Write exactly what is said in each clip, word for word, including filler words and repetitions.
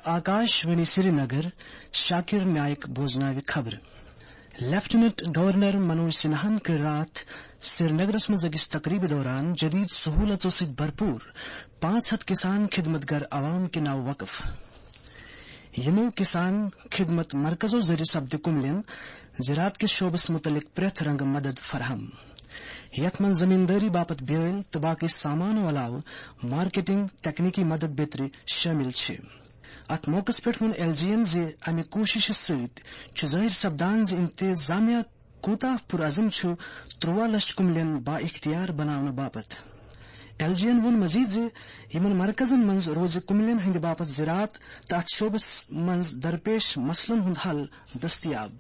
آکاش وانی سرینگر۔ شاکر نائک بوزناوِ خبرٕ۔ Lieutenant governor Manoj سنہاہن کٔر راتھ سرینگرس منٛز أکِس تقریبہِ دوران جدید سہولژو سۭتۍ بھرپور پانٛژھ ہتھ کسان خدمت گر عوام کہِ ناوٕ وقف۔ یِمو کسان خدمت مرکزو ذٔریعہٕ سپدِ کُملین زراعت کِس شعبس مُتعلق پرٛٮ۪تھ رنگہٕ مدد فراہم، یتھ منٛز زمیندٲری باپتھ بیٲلۍ تہٕ باقی سامانو علاوٕ مارکیٹنگ، تکنیکی مدد بیترِ شٲمِل چھِ۔ اتھ موقعس پٮ۪ٹھ ووٚن ایل جی ین زِ امہِ کوٗششہِ سۭتۍ چھُ ظٲہِر سپدان زِ انتظامیہ کوٗتاہ پُرعزم چھُ تُرٛواہ لچھ کُملین با اختیار بناونہٕ باپتھ۔ ایل جی ین ووٚن مزید زِ یِمن مرکزن منٛز روزِ کُملین ہٕنٛدِ باپتھ زراعت تہٕ اتھ شعبس منٛز درپیش مسلن ہُنٛد حل دٔستیاب۔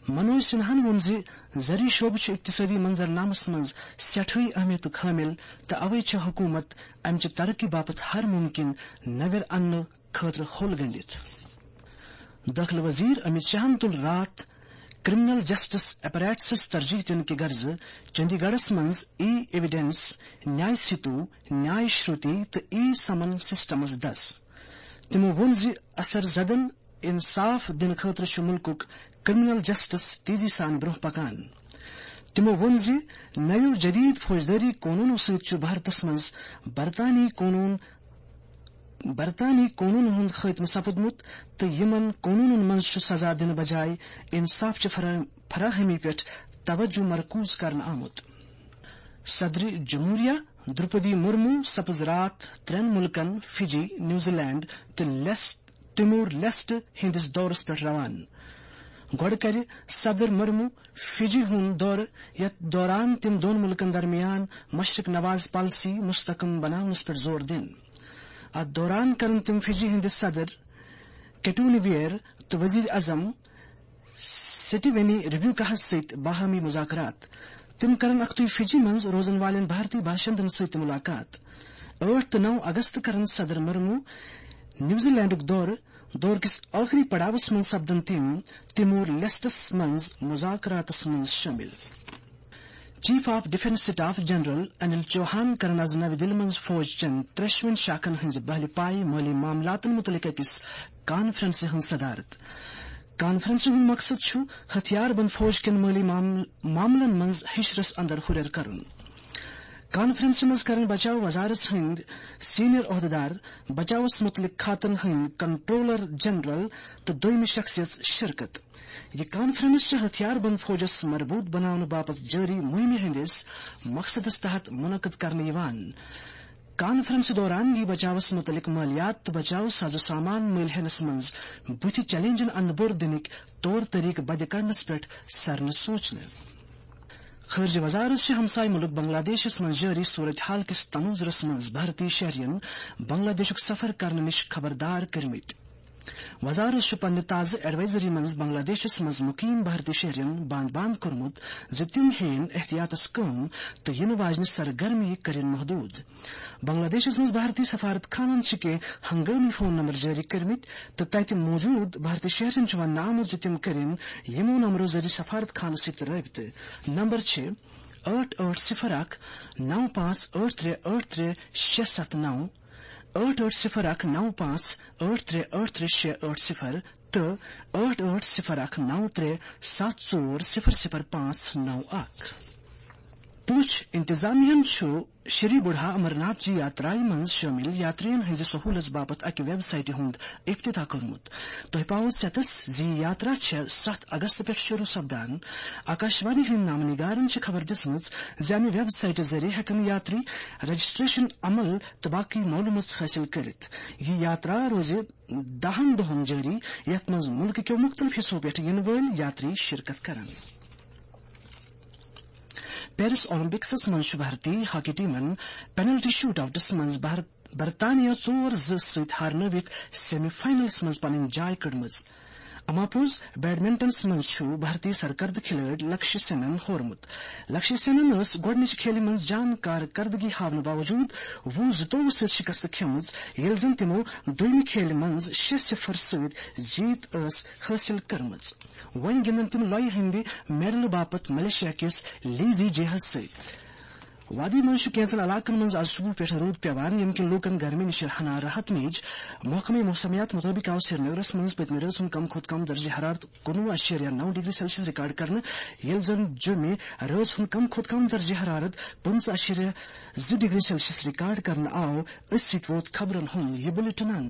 منوج سنہاہن ووٚن زِ زرعی شعبہٕ چھُ اقتصٲدی منظرنامس منٛز سٮ۪ٹھٕے اہمیتُک حٲمِل تہٕ اوے چھےٚ حکوٗمت امہِ چہِ ترقی باپتھ ہر مُمکِن نوٮ۪ر اننہٕ خٲطرٕ ہوٚل گٔنٛڈِتھ۔ دٲخلہٕ وزیر امیت شاہن تُل راتھ کرمنل جسٹس ایپریٹسس ترجیح دِنہٕ کہِ غرضہٕ چندی گڑھس منٛز ای ایویڈنس، نیاے سیتو، نیاے شروتی تہٕ ای سمن سسٹمس دس۔ تِمو ووٚن زِ اثر زدن انصاف دِنہٕ خٲطرٕ چھُ مُلکُک کرمنل جسٹس تیزی سان برٛونٛہہ پکان۔ تِمو ووٚن زِ نَیو جدید فوجدٲری قونوٗنو سۭتۍ چھُ بھارتس منٛز برطانوی قونوٗن، برطانوی قونوٗنن ہُنٛد خٲتمہٕ سپُدمُت تہٕ یِمن قونوٗنن منٛز چھُ سزا دِنہٕ بجایہِ انصاف چہِ فراہ-، فراہمی پٮ۪ٹھ توجہ مرکوز کرنہٕ آمُت۔ صدر جمہوریہ درپدی مرمو سپٕز راتھ ترٛٮ۪ن مُلکن فجی، نیوزی لینڈ تہٕ لیس-، تیمور لیسٹ ہٕنٛدِس دورس پٮ۪ٹھ روانہٕ۔ گۄڈٕ کرِ صدر مرمو فجی ہُنٛد دورٕ، یتھ دوران تِم دۄن مُلکن درمیان مشرق نواز پالیسی مستحکم بناونس پٮ۪ٹھ زور دِن۔ اتھ دوران کرن تِم فجی ہٕنٛدِ صدر کیٹونی ویئر تہٕ وزیر اعظم سٹیونی ریبیوکاہس سۭتۍ باہمی مذاکرات۔ تِم کرن اکھتُے فجی منٛز روزن والٮ۪ن بھارتی باشندن سۭتۍ تہِ مُلاقات۔ ٲٹھ تہٕ نَو اگست کرن صدر مرمو نیوزی لینڈُک دورٕ۔ دورٕ کِس ٲخری پڑاوس منٛز سپدن تِم تیمور لیسٹس منٛز مذاکراتس منٛز شٲمِل۔ Chief of defence staff general Anil Chauhan کرن از نوِ دِلہِ منٛز فوج چٮ۪ن ترٛیشوٕنۍ شاخن ہٕنٛزِ بحلہِ پایہِ مٲلی معاملاتن مُتعلق أکِس کانفرنسہِ ہٕنٛز صدارت۔ کانفرنسہِ ہُنٛد مقصد چھُ ہتھیار بند فوج کٮ۪ن مٲلی معامل-، معاملن منٛز ہشرس اندر ہُرٮ۪ر کرُن۔ کانفرنسہِ منٛز کرن بچاو وزارت ہٕنٛدۍ سینئر عہدٕدار، بچاوس مُتعلق کھاتن ہٕنٛدۍ کنٹرولر جنرل تہٕ دوٚیمہِ شخصیژ شرکت۔ یہِ کانفرنس چھِ ہتھیار بند فوجس مربوط بناونہٕ باپتھ جٲری مُہِمہِ ہٕنٛدِس مقصدس تحت منعقد کرنہٕ یِوان۔ کانفرنس دوران یی بچاوس مُتعلق مٲلیات تہٕ بچاو ساز و سامان مٔلۍ ہینس منٛز بُتھِ چیلنجن اندٕ بور دِنٕکۍ طور طریقہٕ بدِ کڑنس پٮ۪ٹھ سرنہٕ سوچنہٕ۔ خارجہ وزارت چھِ ہمسایہ مُلک بنگلہ دیشس منٛز جٲری صورت حال کِس تناظرس منٛز بھارتی شہرین بنگلہ دیشُک سفر کرنہٕ نِش خبردار کٔرمٕتۍ۔ وزارت چھُ پننہِ تازٕ ایڈوائزری منٛز بنگلہ دیشس منٛز مقیم بھارتی شہرین باند باند کوٚرمُت زِ تِم ہیٚیِن احتیاطس کٲم تہٕ یِنہٕ واجنہِ سرگرمی کٔرِن محدود۔ بنگلہ دیشس منٛز بھارتی سفارت خانن چھِ کینٛہہ ہنگٲمی فون نمبر جٲری کٔرمٕتۍ تہٕ تتہِ موجود بھارتی شہرین چھُ وننہٕ آمُت زِ تِم کٔرِن یِمو نمبرو ذٔریعہٕ سفارت خانس سۭتۍ رٲبطہٕ۔ نمبر چھِ ٲٹھ ٲٹھ صفر اکھ نو پانٛژھ ٲٹھ ترٛےٚ ٲٹھ ترٛےٚ شےٚ ستھ نو، ٲٹھ ٲٹھ صفر اکھ نو پانٛژھ ٲٹھ ترٛےٚ ٲٹھ ترٛےٚ شےٚ ٲٹھ صفر تہٕ ٲٹھ ٲٹھ صفر اکھ نو ترٛےٚ ستھ ژور صفر صفر پانٛژھ نو اکھ۔ پوٗنٛچھ انتظامیہ ہن چھُ شری بُڈھا امرناتھ جی یاترایہِ منٛز شٲمِل یاترین ہٕنٛزِ سہوٗلژ باپتھ اکہِ ویب سائٹہِ ہُنٛد افتتاح کوٚرمُت۔ تۄہہِ پاوو ژٮ۪تس زِ یہِ یاترا چھےٚ ستھ اگست پٮ۪ٹھ شروع سپدان۔ آکاشوانی ہٕنٛدۍ نامہٕ نگارن چھِ خبر دِژمٕژ زِ امہِ ویب سائٹہِ ذٔریعہٕ ہٮ۪کن یاتری رجسٹریشن عمل تہٕ باقی معلومات حٲصِل کٔرِتھ۔ یہِ یاترا روزِ دَہَن دۄہَن جٲری، یَتھ منٛز مُلکہٕ کیو مُختٔلِف حِصو پٮ۪ٹھ یِنہٕ وٲلۍ یاتری شرکت کرن۔ پیرس اولمپکسس منٛز چھُ بھارتی ہاکی ٹیمن پینلٹی شوٹ آؤٹس منٛز بھارت، برطانیہ ژور زٕ سۭتۍ ہارنٲوِتھ سیمی فائنلس منٛز پنٕنۍ جاے کٔڑمٕژ۔ اما پوٚز، بیڈمنٹنس منٛز چھُ بھارتی سرکردٕ کھلٲڑۍ لکشی سینن ہورمُت۔ لکشی سینن ٲس گۄڈٕنِچہِ کھیلہِ منٛز جان کارکردگی ہاونہٕ باوجود وُہ زٕتووُہ سۭتۍ شکست کھیمٕژ، ییٚلہِ زن تِمو دوٚیمہِ کھیلہِ منٛز شےٚ صفر سۭتۍ جیت ٲس حٲصِل کٔرمٕژ۔ وۄنۍ گِنٛدن تِم لۄیہِ ہٕنٛدِ میڈلہٕ باپتھ ملیشیا کِس لیزی جیہس سۭتۍ۔ وادی منٛز چھُ کینٛژن علاقن منٛز آز صبح پٮ۪ٹھ روٗد پٮ۪وان، ییٚمہِ کِنۍ لوٗکن گرمی نِش ہنا راحت میج۔ محکمہٕ موسمیات مُطٲبِق آو سرینگرس منٛز پٔتمہِ رٲژ ہُنٛد کم کھۄتہٕ کم درجہ حرارت کُنوُہ اَشیریہ نَو ڈگری سیلسیس ریکارڈ کرنہٕ، ییٚلہِ زن جوٚمہِ رٲژ ہُنٛد کم کھۄتہٕ کم درجہ حرارت پٕنٛژٕہ اَشیریہ زٕ ڈگری سیلسیس ریکارڈ کرنہٕ آو۔ أتھۍ سۭتۍ ووت خبرن ہُنٛد یہِ بُلٹن اند۔